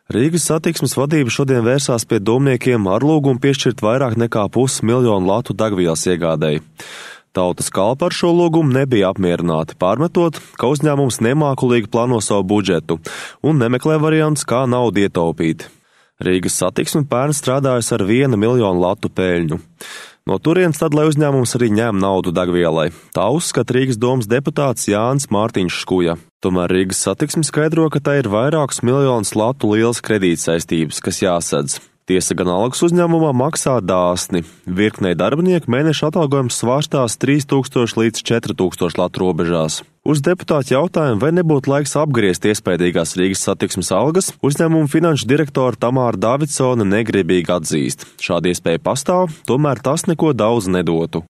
Rīgas satiksmes vadība šodien vērsās pie domniekiem ar lūgumu piešķirt vairāk nekā 500 000 latu degvielas iegādēji. Tautas kalpa ar šo lūgumu nebija apmierināti, pārmetot, ka uzņēmums nemākulīgi plāno savu budžetu un nemeklē variants, kā naudu ietaupīt. Rīgas satiksme pērn strādājas ar 1 000 000 latu peļņu. No turienes tad, lai uzņēmums arī ņem naudu degvielai. Tā uzskata Rīgas domas deputāts Jānis Mārtiņš Škuja. Tomēr Rīgas satiksme skaidro, ka tā ir vairākus miljonus latu lielas kredītsaistības, kas jāsedz. Tiesa gan algas uzņēmumā maksā dāsni. Virknei darbinieku mēneša atalgojums svārstās 3000 līdz 4000 latu robežās. Uz deputātu jautājumu, vai nebūtu laiks apgriezt iespējīgās Rīgas satiksmes algas, uzņēmuma finanšu direktora Tamāra Davidsone negribīgi atzīst. Šāda iespēja pastāv, tomēr tas neko daudz nedotu.